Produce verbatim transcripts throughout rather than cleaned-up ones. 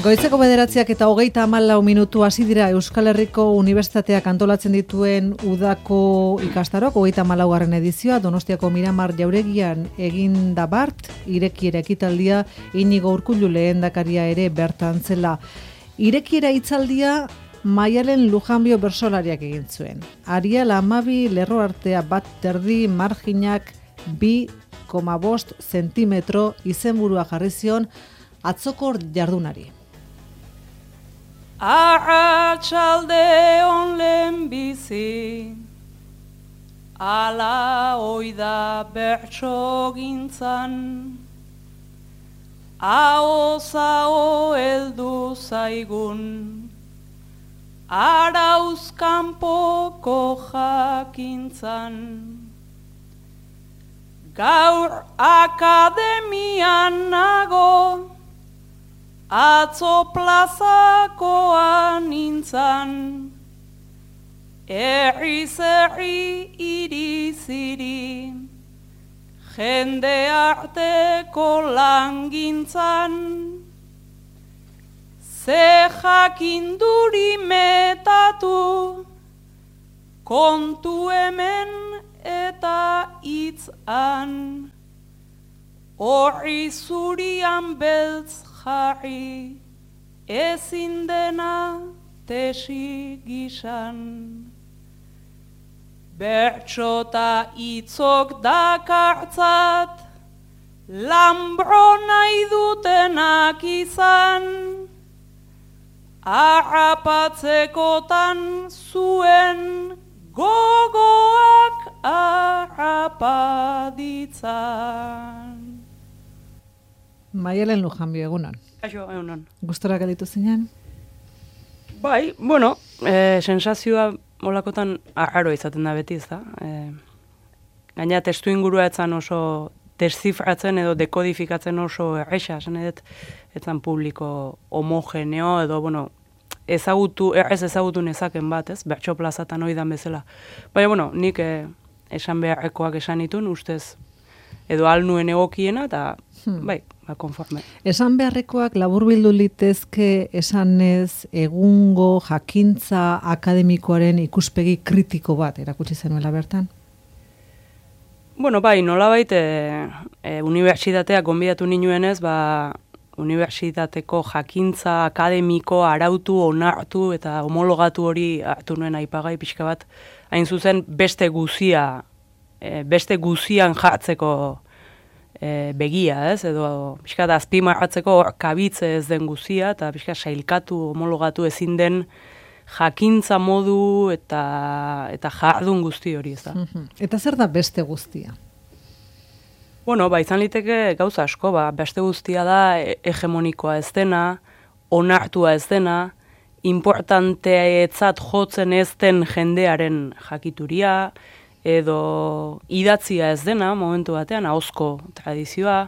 Goizeko bederatziak eta hogeita hamalau minutu hasi dira Euskal Herriko Unibertsitateak antolatzen dituen udako ikastaroak, hogeita hamalaugarren edizioa, Donostiako Miramar Jauregian egin da bart, irekiera ekitaldia, Inigo Urkullu lehendakaria ere bertan zela. Irekiera hitzaldia Maialen Lujanbio bersolariak egin zuen. Ariel Amabi lerro artea bat terdi marginak bi koma bost zentimetro izenburua jarri zion atzoko jardunari. Arratsalde on lehen bizi, ala oida bertso gintzan, aho-zaho heldu zaigun, arauzkanpoko jakintzan. Gaur akademian nago, atzo plazakoan nintzan, erri-zerri iri-ziri, jende arteko langintzan, ze jakinduri metatu, kontu hemen eta hitzan, horri zurian beltz jarri, ezin dena tesi gisan. Bertxota itzok dakartzat, lambro nahi dutenak izan, harrapatzekotan zuen gogoak harrapaditzan. Maialen Lujanbio, egunon. Kaixo, egunon. Gustora galitu zinen? Bai, bueno, e, sensazioa molakotan arraro izaten da beti, ez da? E, gaina testu ingurua etzan oso descifratzen edo dekodifikatzen oso erresa, esan edet, etzan publiko homogeneo edo, bueno, ezagutu, errez ezagutu nezaken bat, ez? Bertso plazatan oidan bezala. Baina, bueno, nik e, esan beharrekoak esan itun, ustez, edo alnuen egokiena, eta, hmm. bai, ba, konforme. Esan beharrekoak laburbildu litezke esanez egungo jakintza akademikoaren ikuspegi kritiko bat erakutsi zenuela bertan? Bueno, bai, nolabait e, e, unibertsitateak gonbidatu ninuenez, ba, unibertsitateko jakintza akademiko arautu, onartu eta homologatu hori hartu nuen aipagai pixka bat, hain zuzen beste guzia, e, beste guzian jartzeko e, begia, ez, edo pixka da azpimarratzeko hor kabitze ez den guzia, eta pixka sailkatu, homologatu ezin den jakintza modu eta eta jardun guzti hori, ez da. Eta zer da beste guztia? Bueno, ba, izan liteke gauza asko, ba, beste guztia da hegemonikoa ez dena, onartua ez dena, importanteetzat jotzen ez den jendearen jakituria, edo idatzia ez dena, momentu batean, ahozko tradizioa,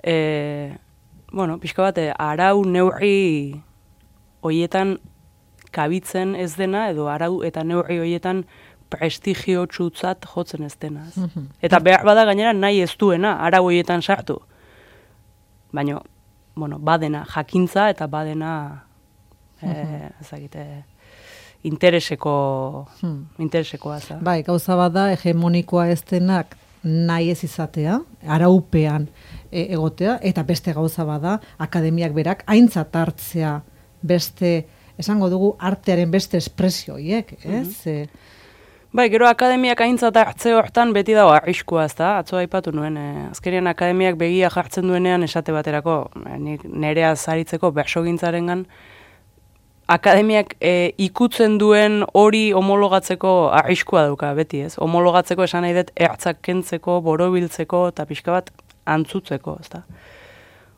e, bueno, pixka bate, arau neurri hoietan kabitzen ez dena, edo arau eta neurri hoietan prestigio txutzat jotzen ez dena. Mm-hmm. Eta behar bada gainera nahi ez duena, arau hoietan sartu. Baina, bueno, badena jakintza eta badena, mm-hmm. e, ezagite, intereseko, hmm. interesekoa. Za. Bai, gauza bada hegemonikoa ez denak nahi ez izatea, araupean e, egotea, eta beste gauza bada akademiak berak aintzat hartzea beste, esango dugu, artearen beste espresioiek, ez? Mm-hmm. e, Bai, gero akademiak aintzat hartze hortan beti dago arriskua, ez da? Atzo aipatu nuen, eh, azkerian akademiak begia jartzen duenean esate baterako, eh, nik nerea zaritzeko bersogintzarengan, akademiak eh, ikutzen duen hori homologatzeko arriskua dauka beti, ez? Homologatzeko esan nahi dut ertzak kentzeko, borobiltzeko eta pixka bat antzutzeko, ez da?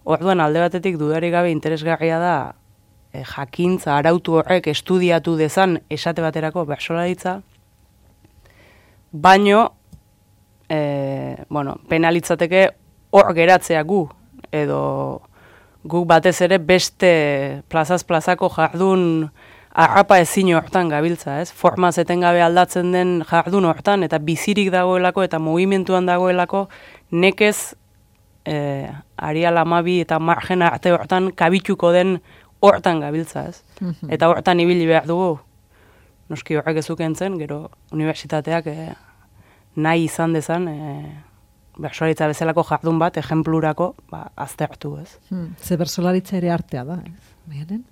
Orduan alde batetik dudarik gabe interesgarria da eh, jakintza, arautu horrek estudiatu dezan esate baterako bersolaritza, baino, e, bueno, penalitzateke hor geratzea gu, edo guk batez ere beste plazaz plazako jardun harrapa ezin hortan gabiltza, ez? Formaz etengabe aldatzen den jardun hortan, eta bizirik dagoelako eta mugimenduan dagoelako nekez e, Ariel Amabi eta margen arte hortan kabituko den hortan gabiltza, ez? Eta hortan ibili behar dugu, noski horrek ezuken zen, gero unibertsitateak e, nahi izan dezan, e, bersolaritza bezalako jardun bat, ejemplurako, ba, aztertu, ez? Hmm. Ze bersolaritza ere artea da, ez? Baiaren?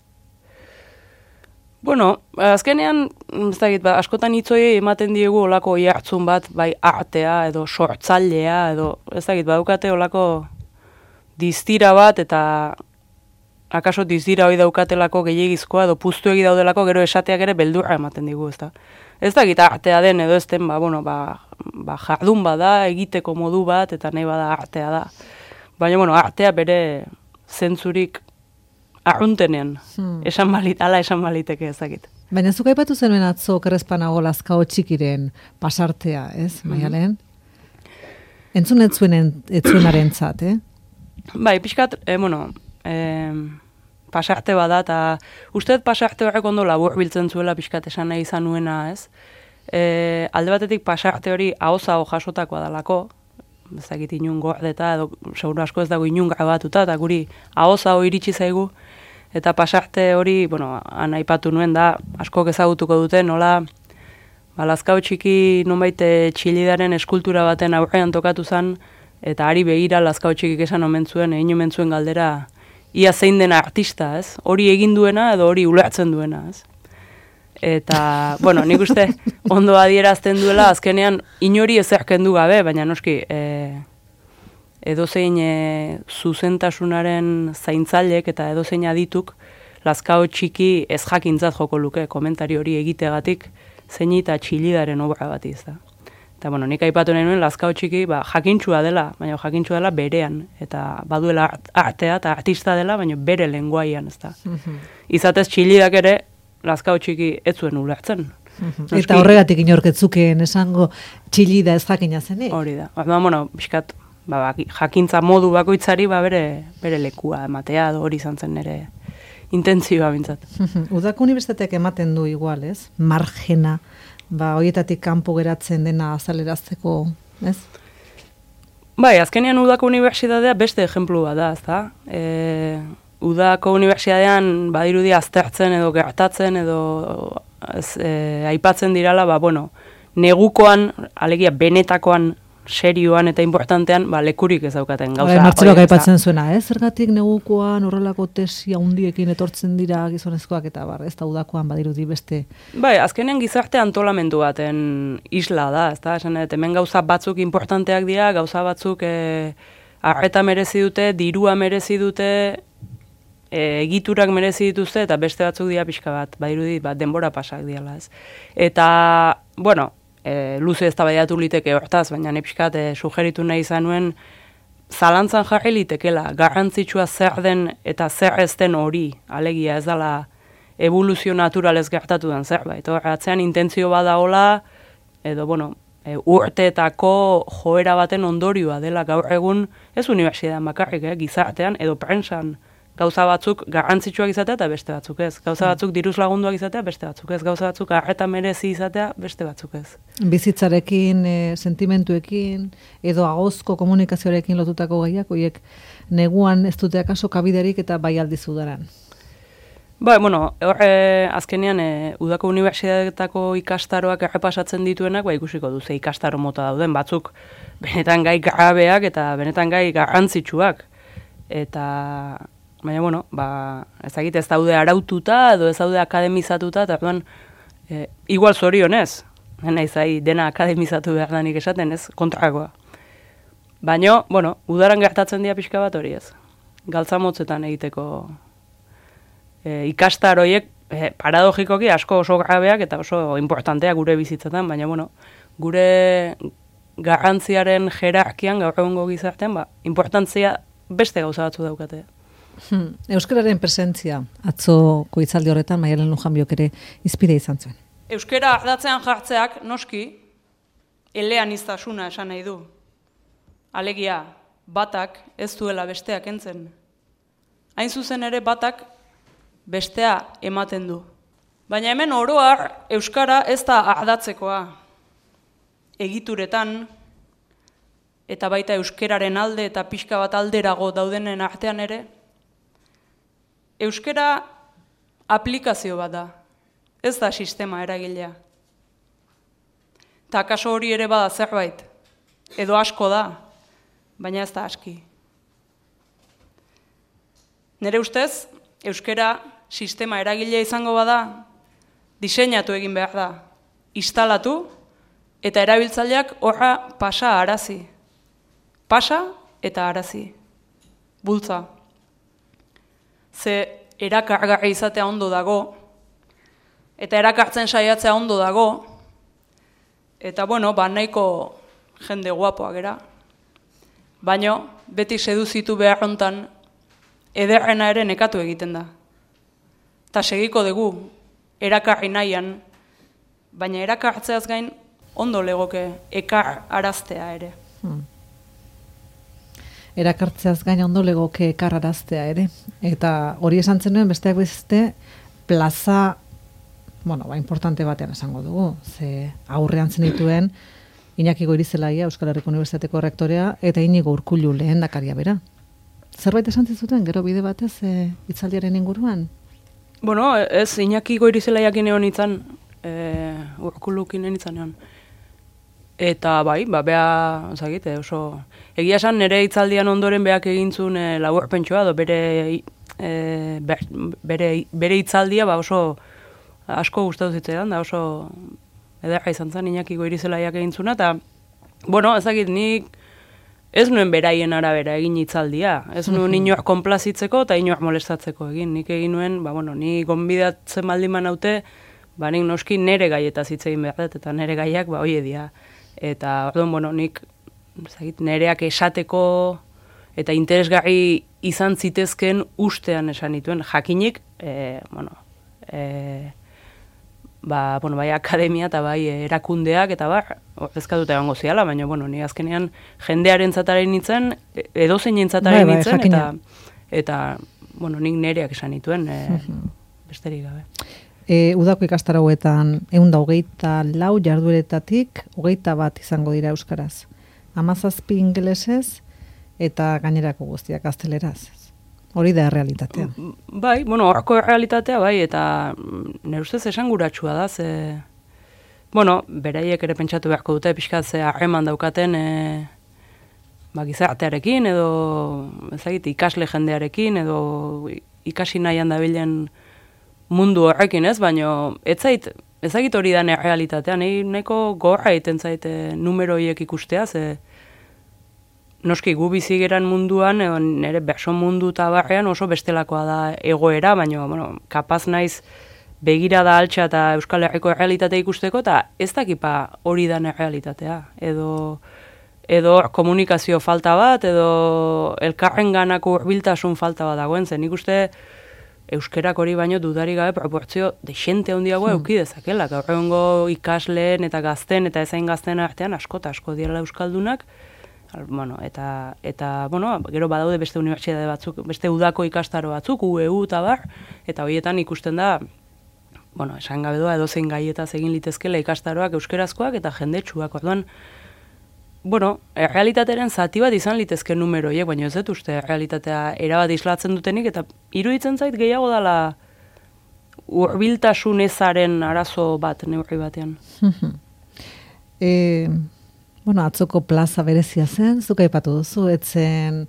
Bueno, azkenean, ez dakit, ba, askotan hitzoi ematen diegu olako jartzun bat, bai artea, edo sortzailea, edo, ez dakit, badukate olako distira bat, eta akaso distira hori daukatelako gehiagizkoa, edo puztu egi daudelako, gero esateak ere beldurra ematen digu, ez da. Ez dakit artea den, edo ez den, ba, bueno, ba, ba, jardun bada, egiteko modu bat, eta nahi bada artea da. Baina, bueno, artea bere zentzurik arruntenean, hmm. esan balit, ala esan baliteke ezakit. Baina zuk aipatu zenuen atzo kerrezpanago Lazkao Txikiren pasartea, ez, Maialen? Mm-hmm. Entzun etzuen etzuenaren zat, eh? Bai, pixkat, eh, bueno, eh, pasarte bada, eta usteet pasarte horrek ondo labur biltzen zuela pixkat esan nahi izan nuena, ez? Eh, alde batetik pasarte hori ahoza jasotakoa dalako, ezakit inun gordeta, edo seguru asko ez dago inun grabatuta, eta guri ahoza hori iritsi zaigu, eta pasarte hori, bueno, han aipatu nuen da, askok ezagutuko dute, nola, ba, Lazkao Txiki nonbait Txilidaren eskultura baten aurrean tokatu zen, eta ari begira Lazkao Txikik esan omen zuen, egin omen zuen galdera, ia zein den artista, ez? Hori egin duena edo hori ulertzen duena, ez? Eta, bueno, nik uste ondo adierazten duela, azkenean inori ezerken du gabe, baina noski, e, edozein e, zuzentasunaren zaintzailek eta edozein adituk, Lazkao Txiki ez jakintzat joko luke, komentari hori egitegatik, zein eta Txilidaren obra bat izan. Eta, bueno, nik aipatu nahi nuen Lazkao Txiki, ba, jakintxua dela, baina jakintxua dela berean, eta baduela artea eta artista dela, baina bere lenguaian, ez da. Mm-hmm. Izatez Txilidak ere, Lazkao Txiki ez zuen ulertzen. Mm-hmm. Eta horregatik inorketzukeen esango Txilida ez jakina zenik. Hori da. Ba, bueno, pixkat, ba, jakintza modu bakoitzari ba, bere, bere lekua ematea, hori izan zen nire intentzioa bintzat. Mm-hmm. Udako unibertsitateak ematen du igual, ez? Margena, ba, horietatik kanpo geratzen dena azalerazteko, ez? Bai, azkenean Udako unibertsitatea beste ejemplua da, ez da? E, Udako unibertsitatean badirudi aztertzen edo gertatzen edo ez, e, aipatzen dirala, ba, bueno, negukoan, alegia benetakoan, serioan eta importantean, ba, lekurik ez daukaten gauza. Martxelok aipatzen zuena, eh? Zergatik negukoan horrelako tesia hundiekin etortzen dira gizonezkoak eta bar, ez da Udakoan badirudi beste. Bai, azkenean gizarte antolamendu baten isla da, ez da? Esan, hemen gauza batzuk importanteak dira, gauza batzuk e, arreta merezi dute, dirua merezi dute, e, egiturak merezi dituzte, eta beste batzuk dira pixka bat, badirudi bat denbora pasak diala, ez. Eta, bueno, E, luze ez da baiatu liteke hortaz, baina nepixkat e, sugeritu nahi izan nuen zalantzan jarri litekela, garrantzitsua zer den eta zer ez den hori, alegia ez dela evoluzio naturalez gertatu den zerbait. Atzean intentzio badaola, edo bueno, e, urteetako joera baten ondorioa dela gaur egun, ez unibertsitatean bakarrik, eh, gizartean edo prensan, gauza batzuk garrantzitsuak izatea eta beste batzuk ez. Gauza batzuk diruz lagunduak izatea, beste batzuk ez. Gauza batzuk arreta merezi izatea, beste batzuk ez. Bizitzarekin, e, sentimentuekin, edo agozko komunikazioarekin lotutako gaiak, horiek neguan ez dute akaso kabiderik eta bai aldiz udaran. Ba, bueno, hor, e, azkenean, e, Udako unibertsitateetako ikastaroak errepasatzen dituenak, ba, ikusiko duze ikastaro mota dauden, batzuk benetan gai grabeak eta benetan gai garrantzitsuak. Eta baina, bueno, ba, ezagite ez daude araututa edo ez daude akademizatuta, eta orduan, e, igual zorionez, naiz ahi dena akademizatu behar danik esaten, ez, kontrakoa. Baina, bueno, udaran gertatzen dira pixka bat hori ez. Galtzamotzetan egiteko e, ikastaroiek, e, paradogikoki asko oso grabeak eta oso importanteak gure bizitzetan, baina, bueno, gure garrantziaren jerarkian gaur egungo gizartean, ba, importantzia beste gauza batzu daukate. Hmm. Euskararen presentzia, atzoko hitzaldi horretan, Maialen Lujanbiok ere izpide izan zuen. Euskara ardatzean jartzeak, noski, eleaniztasuna esan nahi du. Alegia, batak ez duela besteak entzen. Hain zuzen ere batak bestea ematen du. Baina hemen oroar, Euskara ez da ardatzekoa. Egituretan, eta baita euskeraren alde eta pixka bat alderago daudenen artean ere, euskera aplikazio bat da, ez da sistema eragilea. Eta kaso hori ere bada zerbait, edo asko da, baina ez da aski. Nere ustez, euskara sistema eragilea izango bada, diseinatu egin behar da, instalatu, eta erabiltzaileak horra pasa arazi. Pasa eta arazi. Bultza. Ze erakargarri izatea ondo dago, eta erakartzen saiatzea ondo dago, eta bueno, ba nahiko jende guapoa gera. Baina beti seduzitu behar hontan, ederrena ere nekatu egiten da. Ta segiko dugu, erakarri nahian, baina erakartzeaz gain ondo legoke ekar araztea ere. Hmm. Erakartzeaz gain ondo legoke ekar araztea ere. Eta hori esan zenuen besteak beste plaza, bueno, ba, importante batean esango dugu. Ze aurrean zenituen Iñaki Goirizelaia, Euskal Herriko Unibertsitateko rektorea, eta Inigo Urkullu lehendakaria bera. Zerbait esan zizuten, gero bide batez e, hitzaldiaren inguruan? Bueno, ez Iñaki Goirizelaiakin egon itzan, e, Urkullukin nintzen egon. Eta bai, ba, beha, zagite, oso... Egia esan, nire hitzaldian ondoren beak egintzun e, laburpentsua, edo bere, e, bere, bere hitzaldia ba, oso asko gustatu zitzaidan, da oso ederra izan zen Iñaki Goirizelaiak egintzuna, eta, bueno, ezagit, nik ez nuen beraien arabera egin hitzaldia, ez nuen inoak konplazitzeko eta inoak molestatzeko egin, nik egin nuen, ba, bueno, ni gonbidatzen baldin manaute, ba, nik noski nere gaietaz hitz egin behar dut, eta nere gaiak, ba, oie dia, eta, orduan, bueno, nik, ezagit, nereak esateko eta interesgarri izan zitezken ustean esan dituen, jakinik, e, bueno, e, ba, bueno, bai akademia eta bai erakundeak eta bar, ezkatuta egongo ziala, baina, bueno, ni azkenean jendearen zataren nintzen, edozein entzataren bai, nintzen, bai, eta, eta, bueno, nik nereak esan dituen, e, besterik gabe. E, udako ikastarauetan ehun eta hogeita lau jardueretatik hogeita bat izango dira euskaraz. Hamazazpi ingelesez eta gainerako guztiak gazteleraz. Hori da errealitatea. Bai, bueno, horko errealitatea, bai, eta nire ustez esanguratsua da, ze... Bueno, beraiek ere pentsatu beharko dute, pixkat ze harreman daukaten e, ba, gizartearekin, edo ezagite, ikasle jendearekin, edo ikasi nahian dabilen mundu horrekin, ez? Baina ez zait, ezagit hori da errealitatea, nahi nahiko gorra egiten zait numero horiek ikustea, ze... Noski, gu bizigeran munduan, edo nire berso mundu eta barrean oso bestelakoa da egoera, baina, bueno, kapaz naiz begira da altxa eta Euskal Herriko errealitatea ikusteko, eta ez dakipa hori da errealitatea. Edo, edo komunikazio falta bat, edo elkarren ganako hurbiltasun falta bat dagoen zen. Nik uste euskerak hori baino dudari gabe proportzio desente handiago hmm. euki dezakela. Gaur egungo ikasleen eta gazten eta ezain gazten artean asko eta asko direla euskaldunak, bueno, eta, eta bueno, gero badaude beste unibertsitate batzuk, beste udako ikastaro batzuk, U E U eta bar, eta horietan ikusten da, bueno, esan gabe doa edozein gaietaz egin litezkela ikastaroak euskerazkoak eta jendetsuak, orduan, bueno, errealitateren zati bat izan litezke numero hiek, baina ez dut uste errealitatea erabat islatzen dutenik, eta iruditzen zait gehiago dela hurbiltasun ezaren arazo bat neurri batean. eh... Bueno, atzoko plaza berezia zen, zuk aipatu duzu, etzen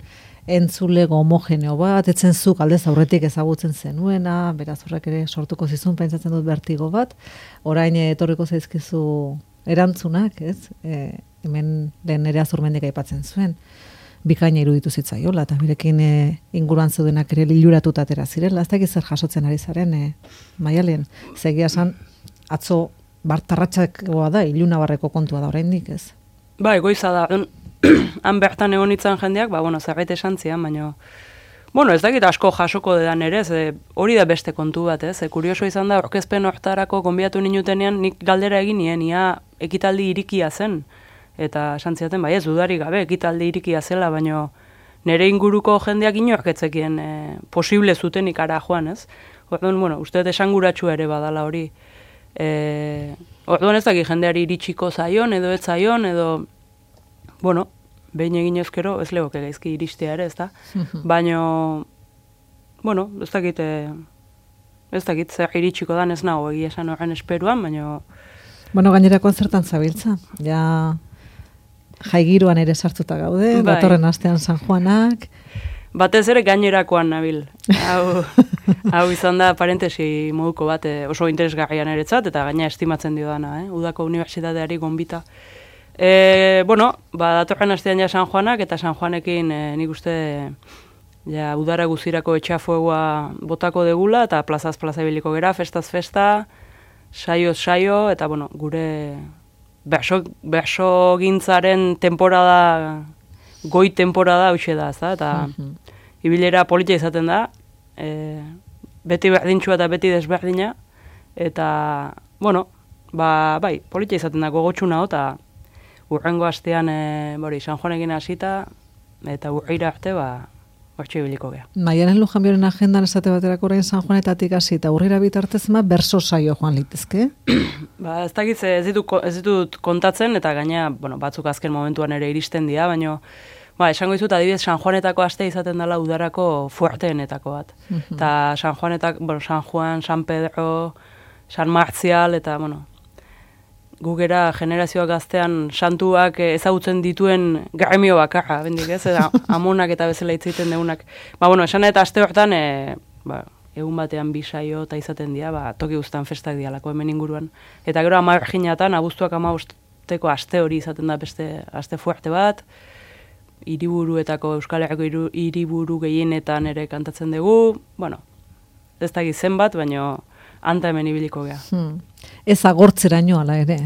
entzulego homogeneo bat, etzen zuk aldez aurretik ezagutzen zenuena, beraz horrek ere sortuko zizun, pentsatzen dut bertigo bat, orain etorriko zaizkizu erantzunak, ez? E, hemen lehen ere Azurmendik aipatzen zuen, bikaina iruditu zitzaiola, eta birekin e, inguruan zeudenak ere liluratuta atera zirela, ez dakit zer jasotzen ari zaren, e, Maialen, zegia esan, atzo bartarratxakoa da, ilunabarreko kontua da oraindik, ez? Ba, egoiza da, han bertan egon itzan jendeak, ba, bueno, zerbait esan zian, baina, bueno, ez dakit asko jasoko dedan ere, ze hori da beste kontu bat, ez, ze kurioso izan da, orkezpen hortarako konbiatu ninutenean, nik galdera egin nien, ia ekitaldi irikia zen, eta esan ziaten, bai ez, dudari gabe, ekitaldi irikia zela, baina nire inguruko jendeak inoak etzekien e, posible zuten ikara joan, ez, orduan, bueno, uste esanguratsu ere badala hori, e, orduan ez dakit jendeari iritsiko zaion, edo ez zaion, edo, bueno, behin egin ezkero, ez legoke gaizki iristea ere, ez da? Baina, bueno, ez dakit, ez dakit, zer iritsiko dan ez nago egia esan horren esperuan, baina... Bueno, gainerako zertan zabiltza, ja jaigiruan ere sartuta gaude, bai. Datorren astean San Juanak... Batez ere gainerakoan nabil. Hau, hau izan da parentesi moduko bat oso interesgarrian eretzat, eta gaina estimatzen dio dana, eh? Udako unibertsitateari gonbita. E, bueno, ba, datorren astean ja San Juanak, eta San Juanekin e, nik uste ja, udara guzirako etxafuegoa botako degula, eta plazaz plaza ibiliko gera, festaz festa, saioz saio, eta bueno, gure berso, berso gintzaren temporada... goi temporada hauxe da, ez da, eta uh-huh. ibilera polita izaten da, e, beti berdintxua eta beti desberdina, eta, bueno, ba, bai, polita izaten da, gogotxuna, eta urrengo astean, e, bori, San Juanekin hasita, eta urreira arte, ba, hortxe ibiliko geha. Maialen Lujanbioren agendan esate baterako orain San Juanetatik hasi eta urrira bitartez ma berso saio joan litezke? Ba, ez dakit, ez ditut, ez ditut kontatzen, eta gaina, bueno, batzuk azken momentuan ere iristen dira, baina, ba, esango dizut, adibidez, San Juanetako aste izaten dela udarako fuerteenetako bat. Eta uh-huh. San Juanetak, bueno, San Juan, San Pedro, San Martzial, eta, bueno, gugera generazioak gaztean santuak ezagutzen dituen gremio bakarra, bendik ez, eta amonak eta bezala hitzaiten deunak. Ba, bueno, esan eta aste hortan, e, ba, egun batean bi saio eta izaten dira, ba, toki guztan festak dialako hemen inguruan. Eta gero amarginatan, abuztuak amabosteko aste hori izaten da beste aste fuerte bat, hiriburuetako Euskal Herriko hiriburu gehienetan ere kantatzen dugu, bueno, ez dakit zenbat, baina anta hemen ibiliko gea. Hmm. Ez agortzeraino ala ere,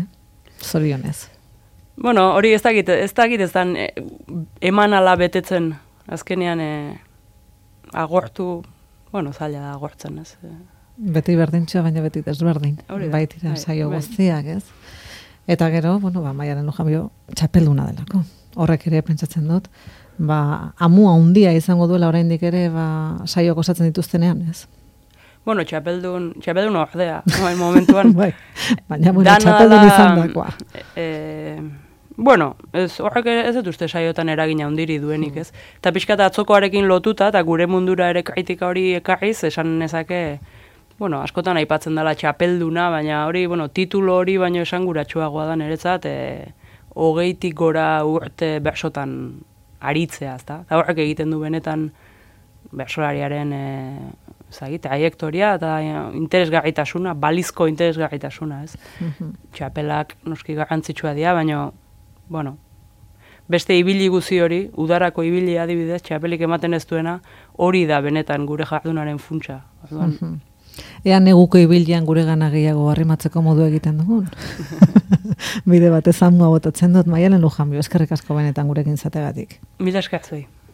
zorionez. Bueno, hori ez dakit, ez dakit ez dan e, eman ala betetzen, azkenean e, agortu, bueno, zaila da agortzen, ez. Beti berdintxoa, baina beti desberdin. Baitira, saio guztiak, ez. Eta gero, bueno, ba, Maialen Lujanbio txapelduna delako. Horrek ere pentsatzen dut, ba, amua handia izango duela oraindik ere, ba, saioak osatzen dituztenean, ez. Bueno, txapeldun, txapeldun ordea, no, momentuan. Bai, baina, bueno, txapeldun izan dakoa. E, bueno, ez, horrek ez dut uste saiotan eragina handiri duenik, ez. Eta pixka eta atzokoarekin lotuta, eta gure mundura ere kritika hori ekarriz, esan nezake, bueno, askotan aipatzen dela txapelduna, baina hori, bueno, titulo hori baino esanguratsuagoa da niretzat, e, hogeitik gora urte bersotan aritzea, ezta? Eta horrek egiten du benetan bersolariaren e, zagit, trajektoria eta interesgarritasuna, balizko interesgarritasuna, ez? Uh-huh. Txapelak noski garrantzitsua dira, baina, bueno, beste ibili guzi hori, udarako ibili adibidez, txapelik ematen ez duena, hori da benetan gure jardunaren funtsa. Uh-huh. Ea neguko ibilian gure gana gehiago arrimatzeko modu egiten dugun. Bide batez amua botatzen dut, Maialen Lujanbio, eskerrik asko benetan gurekin zategatik. Mila esker zuei.